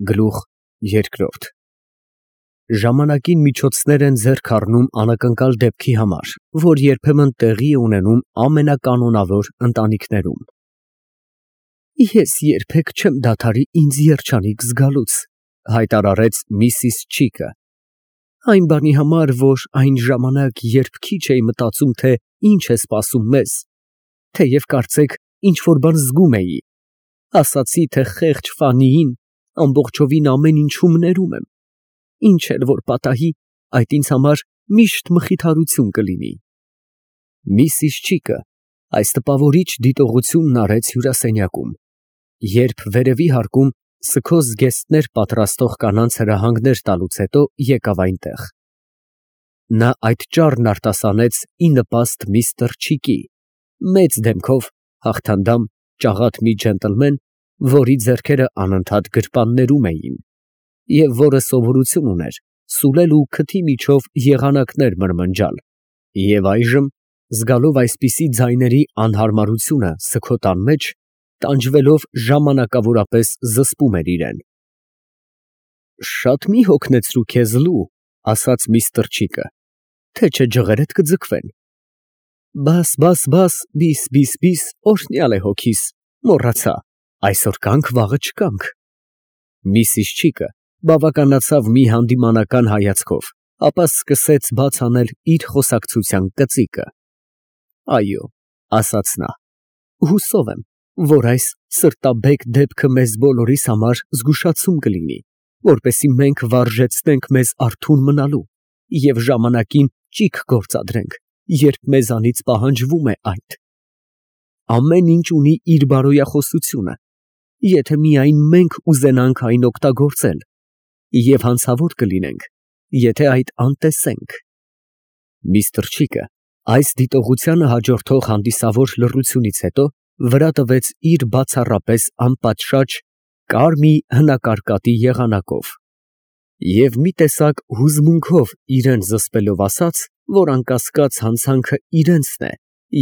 Գլուխ երկրորդ Ժամանակին միջոցներ են ձեռք առնում անակնկալ դեպքի համար, որ երբեմն տեղի է ունենում ամենականոնավոր ընտանիքներում։ Ես երբեք չեմ դադարի ինձ երջանիկ զգալուց, հայտարարեց Միսիս Չիկը, այն բանի համար, որ այն ժամանակ, երբ քիչ էի մտածում, թե ինչ է սպասում մեզ, թեև կարծեք ինչ-որ բան զգում էի, ասացի, թե խեղճ Ֆանիին ամբողջովին ամեն ինչում ներում եմ, ինչ էլ որ պատահի, այդ ինձ համար միշտ մխիթարություն կլինի։ Միսիս Չիկը այս տպավորիչ դիտողությունն արեց հյուրասենյակում, երբ վերևի հարկում սքոս զգեստներ պատրաստող կանանց հրահանգներ տալուց հետո եկավ այնտեղ։ Նա այդ ճառն արտասանեց ի նպաստ միստր Չիկի, մեծ դեմքով, հաղթանդամ, ճաղատ մի ջենտլմեն, որի ձեռքերը անընդհատ գրպաններում էին, և որը սովորություն ուներ սուլել ու քթի միջով եղանակներ մրմնջալ, և այժմ, զգալով այսպիսի ձայների անհարմարությունը սքոտան մեջ, տանջվելով ժամանակավորապես զսպում էր իրեն։ Շատ մի հոգնեցրու քեզ, Լու, ասաց միստր Չիկը, թե չէ ջղերդ կձգվեն։ Բաս, բիս, օրհնյալ է հոգիս, մոռացա, այսօր կանք, վաղը չկանք։ Միսիս Չիկը բավականացավ մի հանդիմանական հայացքով, ապա սկսեց բաց անել իր խոսակցության կծիկը։ Այո, ասաց նա, հուսով եմ, որ այս սրտաբեկ դեպքը մեզ բոլորիս համար զգուշացում կլինի, որպեսզի մենք վարժեցնենք մեզ արթուն մնալու և ժամանակին ճիգ գործադրենք, երբ մեզանից պահանջվում է այդ։ Ամեն ինչ ունի իր բարոյախոսությունը, եթե միայն մենք ուզենանք այն օգտագործել, և հանցավոր կլինենք, եթե այդ անտեսենք։ Միստր Չիկը այս դիտողությանը հաջորդող հանդիսավոր լռությունից հետո վրա տվեց իր բացառապես անպատշաճ կարմի հնակարկատի եղանակով և մի տեսակ հուզմունքով իրան զսպելով ասաց, որ անկասկած հանցանքը իրենցն է,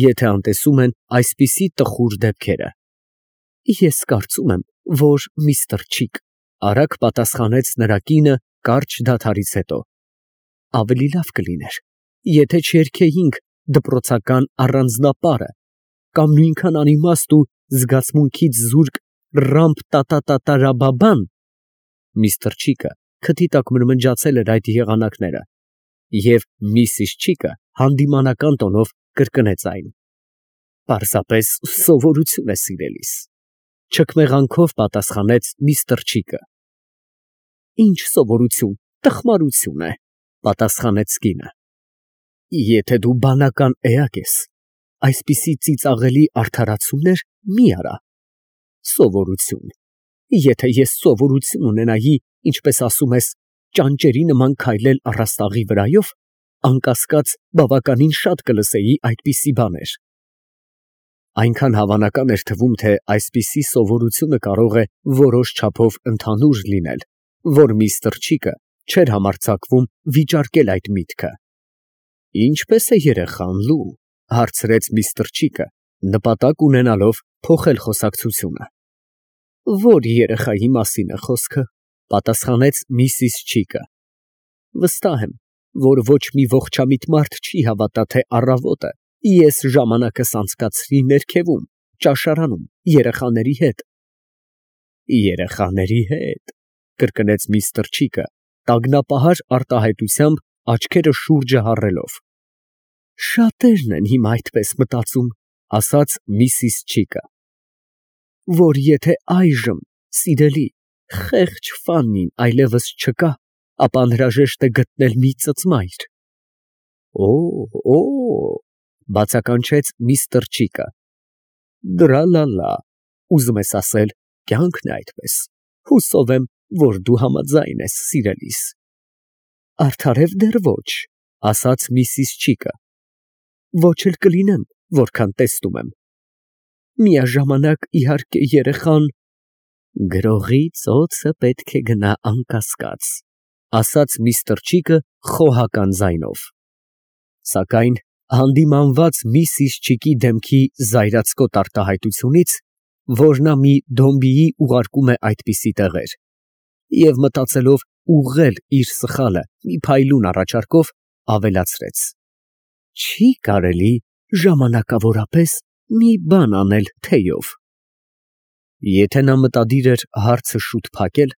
եթե անտեսում են այսպիսի տխուր դեպքերը։ Ես կարծում եմ, որ միստր Չիկ, արագ պատասխանեց նրա կինը կարճ դադարից հետո, ավելի լավ կլիներ, եթե չերգեինք դպրոցական առանձնապարը կամ նույնքան անիմաստ ու զգացմունքից զուրկ ռամպ-տա-տա-տա-տա-ռա-բա-բան։ Միստր Չիկը քթի տակ մրմնջացել էր այդ եղանակները, և Միսիս Չիկը հանդիմանական տոնով կրկնեց այն։ Պարզապես սովորություն է, սիրելիս, չքմեղանքով պատասխանեց միստր Չիկը։ Ինչ սովորություն, տխմարություն է, պատասխանեց կինը։ Եթե դու բանական էակ ես, այսպիսի ծիծաղելի արդարացումներ մի արա։ Սովորություն, եթե ես սովորություն ունենայի, ինչպես ասում ես, ճանճերի նման քայլել առաստաղի վրայով, անկասկած բավականին շատ կլսեի այդպիսի բաներ։ Այնքան հավանական էր թվում, թե այսպիսի սովորությունը կարող է որոշ չափով ընդհանուր լինել, որ միստր Չիկը չէր համարձակվում վիճարկել այդ միտքը։ Ինչպե՞ս է երեխան, Լու, հարցրեց միստր Չիկը, նպատակ ունենալով փոխել խոսակցությունը։ Որ երեխայի մասին է խոսքը, պատասխանեց Միսիս Չիկը։ Վստահ եմ, որ ոչ մի ողջամիտ մարդ չի հավատա, թե առավոտը ես ժամանակս անցկացրի ներքևում, ճաշարանում, երեխաների հետ։ Երեխաների հետ, կրկնեց միստր Չիկը, տագնապահար արտահայտությամբ աչքերը շուրջը հառելով։ Շատերն են հիմա այդպես մտածում, ասաց Միսիս Չիկը, որ եթե այժմ, սիրելի, խեղճ Ֆաննին այլևս չկա, ապա անհրաժեշտ է գտնել մի ծծմայր։ Օ, բացականչեց միստր Չիկը։ Դրա֊լա֊լա, ուզում ես ասել, կյանքն է այդպես, հուսով եմ, որ դու համաձայն ես, սիրելիս։ Արդարև դեռ ոչ, ասաց Միսիս Չիկը։ Ոչ էլ կլինեմ, որքան տեսնում եմ։ Միաժամանակ, իհարկե, երեխան գրողի ծոցը պետք է գնա անկասկած, ասաց միստր Չիկը խոհական ձայնով։ Սակայն հանդիմանված Միսիս Չիկի դեմքի զայրացկոտ արտահայտությունից, որ նա մի դոմբիի ուղարկում է այդպիսի տեղեր, Եվ մտածելով ուղղել իր սխալը մի փայլուն առաջարկով, ավելացրեց. «Չի կարելի ժամանակավորապես մի բան անել թեյով»։ Եթե նա մտադիր էր հարցը շուտ փակել,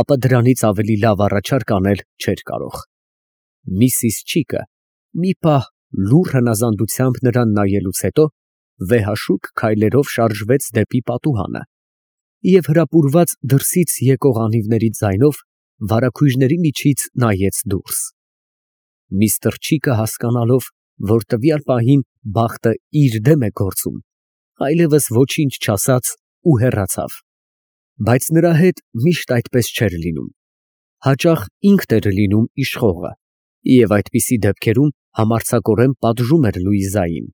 ապա դրանից ավելի լավ առաջարկ անել չէր կարող։ Միսիս Չիկը մի պահ լուռ հնազանդությամբ նրան նայելուց հետո վեհաշուկ քայլերով շարժվեց դեպի պատուհանը և հրապուրված դրսից եկող անիվների ձայնով վարագույրների միջից նայեց դուրս։ Միսթր Չիկը, հասկանալով, որ տվյալ պահին բախտը իր դեմ է գործում, այլևս ոչինչ չասաց ու հեռացավ։ Բայց նրա հետ միշտ այդպես չէր լինում։ Հաճախ ինքն էր լինում իշխողը և այդպիսի դեպքերում համարձակորեն պատժում էր Լուիզային։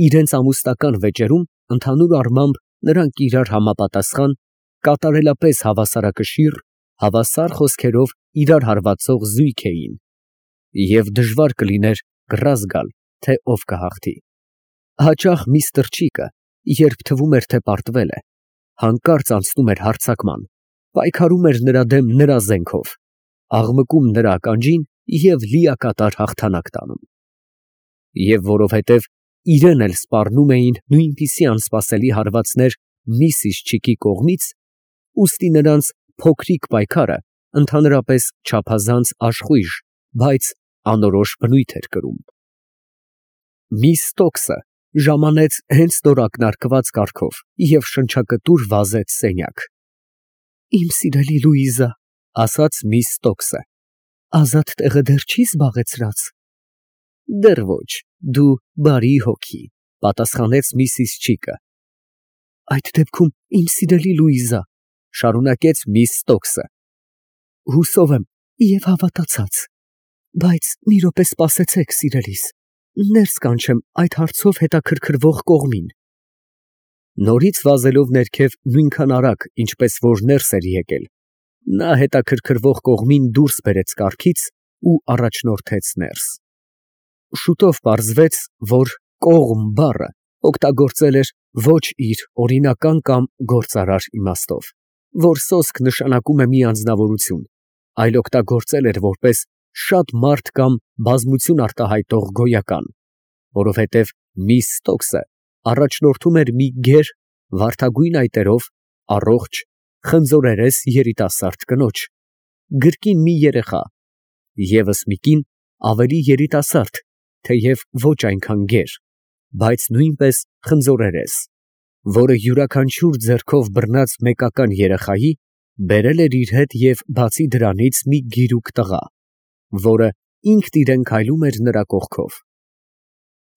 Իրենց ամուսնական վեճերում ընդհանուր առմամբ նրանք իրար համապատասխան, կատարելապես հավասարակշիռ, հավասար խոսքերով իրար հարվածող զույգ էին, և դժվար կլիներ կռ զգալ, թե ով կհաղթի։ Հաճախ միսթր Չիկը, երբ թվում էր, թե պարտվել է, հանկարծ անցնում էր հարձակման, պայքարում էր նրա դեմ նրա զենքով, աղմկում նրա ականջին և լիակատար հաղթանակ տանում։ Եվ որովհետև իրեն էլ սպառնում էին նույնպիսի անսպասելի հարվածներ միսիս Չիկի կողմից, ուստի նրանց փոքրիկ պայքարը ընդհանրապես չափազանց աշխույժ, բայց անորոշ բնույթ էր կրում։ Միս Ստոքսը ժամանեց հենց նոր ակնարկված կառքով և շնչակտուր վազեց սենյակ։ «Իմ սիրելի Լուիզա», ֊ ասաց միս Ստոքսը, ֊ ազատ տեղը դեռ չի զբաղեցրած։ ֊ Դեռ ոչ, դու բարի հոգի, ֊ պատասխանեց միսիս Չիկը։ ֊ Այդ դեպքում, իմ սիրելի Լուիզա, ֊ շարունակեց միս Ստոքսը, ֊ հուսով եմ և հավատացած, բայց մի րոպե սպասեցեք, սիրելիս, ներս կանչեմ այդ հարցով հետաքրքրվող կողմին։ Նորից վազելով ներքև նույնքան արագ, ինչպես որ ներս էր եկել, նա հետաքրքրվող կողմին դուրս բերեց կառքից ու առաջնորդեց ներս։ Շուտով պարզվեց, որ «կողմ» բառը օգտագործել էր ոչ իր օրինական կամ գործարար իմաստով, որ սոսկ նշանակում է մի անձնավորություն, այլ օգտագործել էր որպես շատ մարդ կամ բազմություն արտահայտող գոյական, որովհետև միս Ստոքսը առաջնորդում էր մի գեր, վարդագույն այտերով, առողջ, խնձորերես երիտասարդ կնոջ, գրկին մի երեխա, ևս մի կին ավելի երիտասարդ, թեև ոչ այնքան գեր, բայց նույնպես խնձորերես, որը յուրաքանչյուր ձեռքով բռնած մեկական երեխայի բերել էր իր հետ և բացի դրանից մի գիրուկ տղա, որը ինքն իրեն քայլում էր նրա կողքով։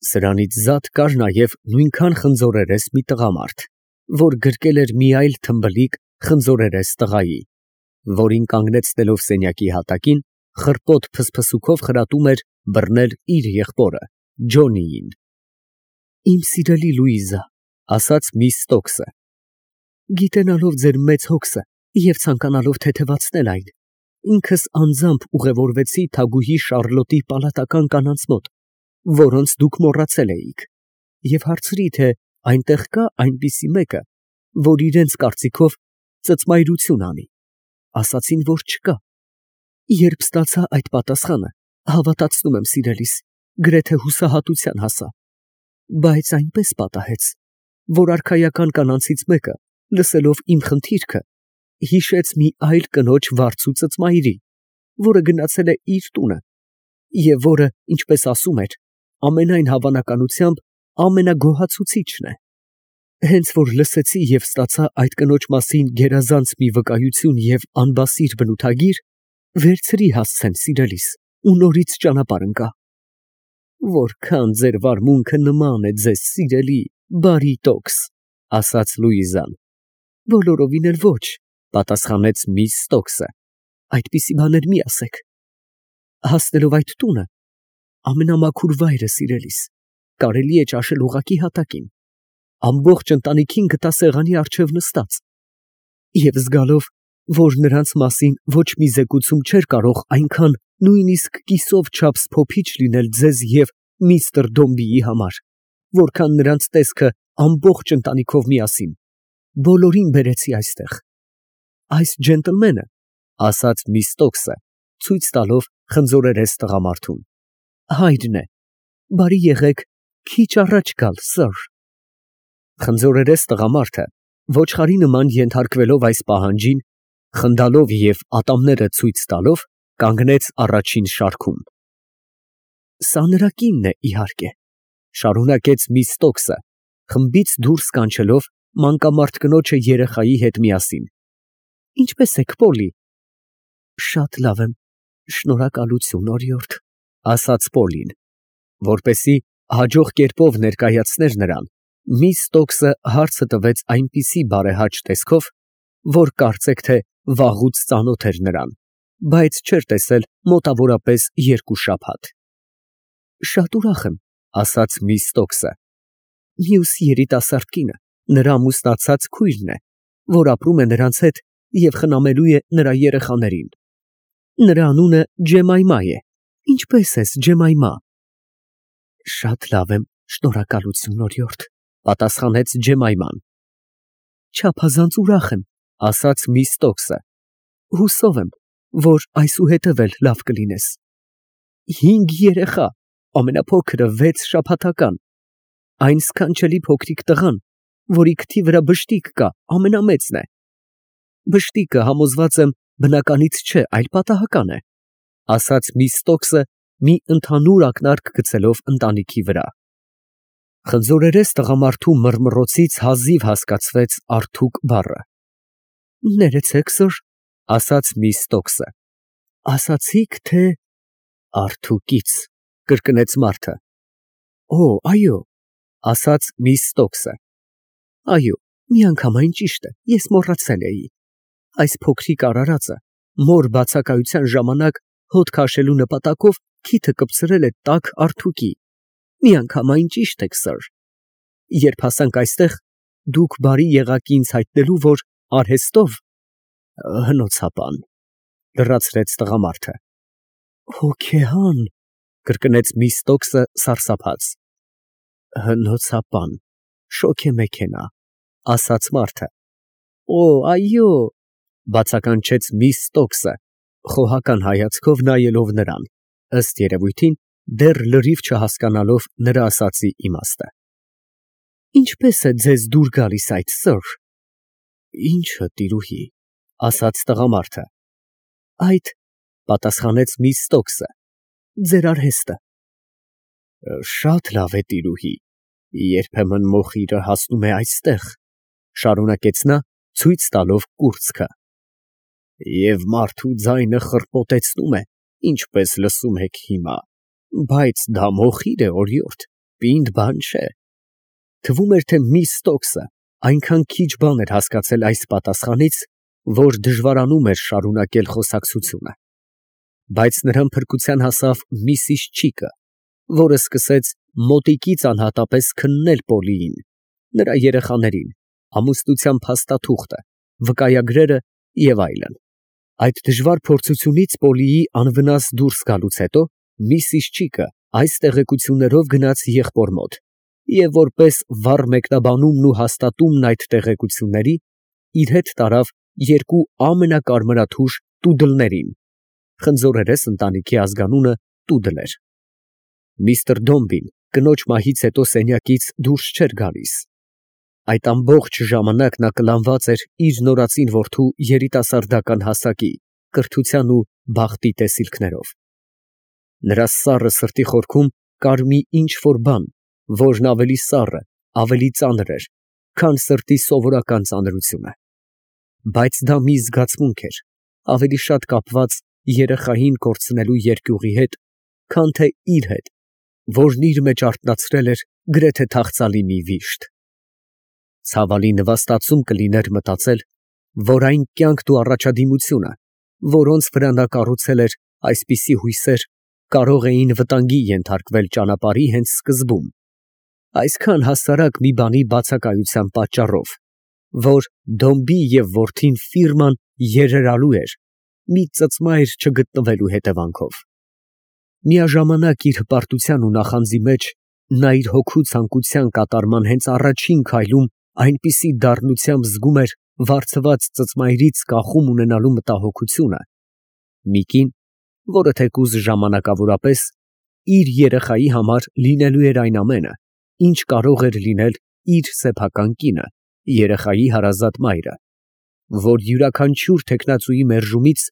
Սրանից զատ կար նաև նույնքան խնձորերես մի տղամարդ, որ գրկել էր մի այլ թմբլիկ խնձորերես տղայի, որին կանգնեցնելով սենյակի հատակին, խռպոտ փսփսուքով խրատում էր բռնել իր եղբորը Ջոնիին։ «Իմ սիրելի Լուիզա», ֊ ասաց միս Ստոքսը, ֊ գիտենալով ձեր մեծ հոգսը և ցանկանալով թեթևացնել այն, ինքս անձամբ ուղևորվեցի թագուհի Շառլոտի պալատական կանանց մոտ, որոնց դուք մոռացել էիք, և հարցրի, թե այնտեղ կա այնպիսի մեկը, որ իրենց կարծիքով ծծմայրություն անի։ Ասացին, որ չկա։ Երբ ստացա այդ պատասխանը, հավատացնում եմ, սիրելիս, գրեթե հուսահատության հասա, բայց այնպես պատահեց, որ արքայական կանանցից մեկը, լսելով իմ խնդիրքը, հիշեց մի այլ կնոջ վարձու ծծմայրի, որը գնացել է իր տունը, և որը, ինչպես ասում էր, ամենայն հավանականությամբ ամենագոհացուցիչն է։ Հենց որ լսեցի և ստացա այդ կնոջ մասին գերազանց մի վկայություն և անբասիր բնութագիր, վերցրի հասցեն, սիրելիս, ու նորից ճանապարհ ընկա։ Որքան ձեր վարմունքը նման է ձեզ սիրելի, բարի տոկս, ֊ ասաց Լուիզան։ Բոլորովին էլ ոչ, ֊ պատասխանեց միս Ստոքսը, այդպիսի բաներ մի ասեք։ Հասնելով այդ տունը, ամենամաքուր վայրը, սիրելիս, կարելի է ճաշել ուղղակի հատակին, ամբողջ ընտանիքին գտա սեղանի առջև նստած, և զգալով, որ նրանց մասին ոչ մի զեկուցում չէր կարող այնքան նույնիսկ կիսով չափս փոփիչ լինել ձեզ և միստր Դոմբիի համար, որքան նրանց տեսքը ամբողջ ընտանիքով միասին, բոլորին բերեցի այստեղ։ Այս ջենտլմենը ասաց Միստոքսը, ցույց տալով խնձորերես տղամարդուն։ Հայրն է, բարի եղեք քիչ առաջ գալ, սըր։ Խնձորերես տղամարդը, ոչխարի նման ենթարկվելով այս պահանջին, խնդալով և ատամները ցույց տալով, կանգնեց առաջին շարքում։ Սա նրա կինն է, իհարկե, շարունակեց Միստոքսը, խմբից դուրս կանչելով մանկամարդ կնոջը երեխայի հետ միասին։ Ինչպե՞ս եք, Պոլի։ Շատ լավ եմ, շնորհակալություն, օրիորդ, ասաց Պոլին, որպեսզի հաջող կերպով ներկայացներ նրան, Միստոքսը հարցը տվեց այնպիսի բարեհաճ տեսքով, որ կարծեք թե վաղուց ծանոթ էր նրան, բայց չէր տեսել մոտավորապես 2 շաբաթ։ Շատ ուրախ եմ, ասաց Միստոքսը։ Մյուս երիտասարդ կինը նրա ամուսնացած քույրն է, որ ապրում է նրանց հետ և խնամելու է նրա երեխաներին։ Նրա անունը Ջեմայմա է։ Ինչպե՞ս ես, Ջեմայմա։ Շատ լավ եմ, շնորհակալություն, օրիորդ, պատասխանեց Ջեմայման։ Չափազանց ուրախ եմ, ասաց Միստոքսը։ Հուսով եմ, որ այսուհետև էլ լավ կլինես։ 5 երեխա, ամենափոքրը 6 շաբաթական, այն սքանչելի փոքրիկ տղան, որի քթի վրա բշտիկ կա, ամենամեծն է։ Բշտիկը, համոզված եմ, բնականից չէ, այլ պատահական է, ասաց Միստոքսը, մի ընդհանուր ակնարկ գցելով ընտանիքի վրա։ Խնձորերես տղամարդու մռմռոցից հազիվ հասկացվեց Արթուկ բառը։ Ներեցեք, սըր, ասաց Միստոքսը։ Ասացիք, թե Արթուկից, կրկնեց մարդը։ Օ, այո, ասաց Միստոքսը։ Այո, միանգամայն ճիշտ է, ես մոռացել էի։ Այս փոքրիկ արարածը մոր բացակայության ժամանակ հոտ քաշելու նպատակով քիթը կպցրել է տաք Արթուկի։ Միանգամայն ճիշտ եք, սըր։ Երբ հասանք այստեղ, դուք բարի եղաք ինձ հայտնելու, որ արհեստով հնոցապան, լրացրեց տղամարդը։ Հոգեհան, կրկնեց Միստոքսը սարսափած։ Հնոցապան, շոգեմեքենա, ասաց մարդը։ Օ, այո, բացականչեց Միստոքսը, խոհական հայացքով նայելով նրան, ըստ երևույթին, դեռ լրիվ չհասկանալով նրա ասածի իմաստը։ Ինչպես է ձեզ դուր գալիս այդ, սըր։ Ինչը, տիրուհի, ասաց տղամարդը։ Այդ, պատասխանեց Միստոքսը, ձեր արհեստը։ Շատ լավ է, տիրուհի, երբեմն մոխիրը հասնում է այստեղ, շարունակեց նա, ցույց տալով կուրծքը։ Եվ մարդու ձայնը խրպոտեցնում է, ինչպես լսում եք հիմա, բայց դա մոխիր է, օրիորդ, պինդ բան չէ։ Թվում էր, թե Միստոքսը այնքան քիչ բան էր հասկացել այս պատասխանից, որ դժվարանում էր շարունակել խոսակցությունը։ Բայց նրան փրկության հասավ Միսիս Չիկը, որը սկսեց մոտիկից անհատապես քննել Պոլիին, նրա երեխաներին, ամուսնության փաստաթուղթը, վկայագրերը և այլն։ Այդ դժվար փորձությունից Պոլիի անվնաս դուրս գալուց հետո Միսիս Չիկը այս տեղեկություններով գնաց եղբոր մոտ և որպես վառ մեկնաբանումն ու հաստատումն այդ տեղեկությունների իր հետ տարավ 2 ամենակարմրաթուժ տուդլներին։ Խնձորերես ընտանիքի ազգանունը տուդլ էր։ Միսթր Դոմբին կնոջ մահից հետո սենյակից դուրս չէր գալիս։ Այդ ամբողջ ժամանակ նա կլանված էր իր նորածին որդու երիտասարդական հասակի, կրթության ու բախտի տեսիլքներով։ Նրա սառը սրտի խորքում կար մի ինչ֊որ բան, որն ավելի սառը, ավելի ծանր էր, քան սրտի սովորական ծանրությունը։ Բայց դա մի զգացմունք էր, ավելի շատ կապված երեխային կորցնելու երկյուղի հետ, քան թե իր հետ, որն իր մեջ արթնացրել էր գրեթե թախծալի մի վիշտ։ Ցավալի նվաստացում կլիներ մտածել, որ այն կյանքն ու առաջադիմությունը, որոնց վրա նա կառուցել էր այսպիսի հույսեր, կարող էին վտանգի ենթարկվել ճանապարհի հենց սկզբում, այսքան հասարակ մի բանի բացակայության պատճառով, որ Դոմբի և որդին ֆիրման երերալու էր մի ծծմայր չգտնվելու հետևանքով։ Միաժամանակ իր հպարտության ու նախանձի մեջ նա իր հոգու ցանկության կատարման հենց առաջին քայլում այնպիսի դառնությամբ զգում էր, վարձված ծծմայրից կախում ունենալու մտահոգությունը, մի կին, որը թեկուզ ժամանակավորապես իր երեխայի համար լինելու էր այն ամենը, ինչ կարող էր լինել իր սեփական կինը, երեխայի հարազատ մայրը, որ յուրաքանչյուր թեկնածուի մերժումից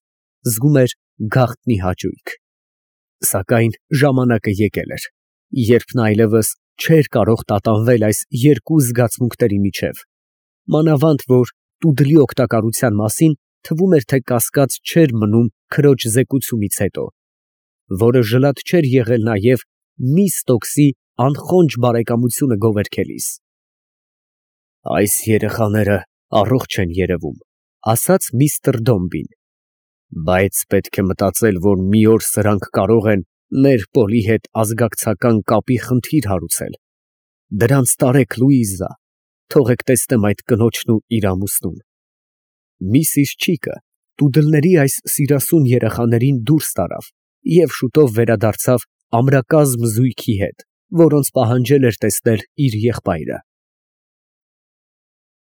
զգում էր գաղտնի հաճույք։ Սակայն ժամանակը եկել էր, երբ նա այլևս չէր կարող տատանվել այս երկու զգացմունքների միջև, մանավանդ որ տուդլի օգտակարության մասին թվում էր, թե կասկած չէր մնում քրոջ զեկուցումից հետո, որը ժլատ չէր եղել նաև միս Ստոքսի անխոնջ բարեկամությունը գովերգելիս։ Այս երեխաները առողջ են երևում, ասաց միստր Դոմբին, բայց պետք է մտածել, որ մի օր սրանք կարող են մեր Պոլի հետ ազգակցական կապի խնդիր հարուցել։ Դրանց տարեք, Լուիզա, թողեք տեսնեմ այդ կնոջն ու իր ամուսնուն։ Միսիս Չիկը տուդլների այս սիրասուն երեխաներին դուրս տարավ և շուտով վերադարձավ ամրակազմ զույգի հետ, որոնց պահանջել էր տեսնել իր եղբայրը։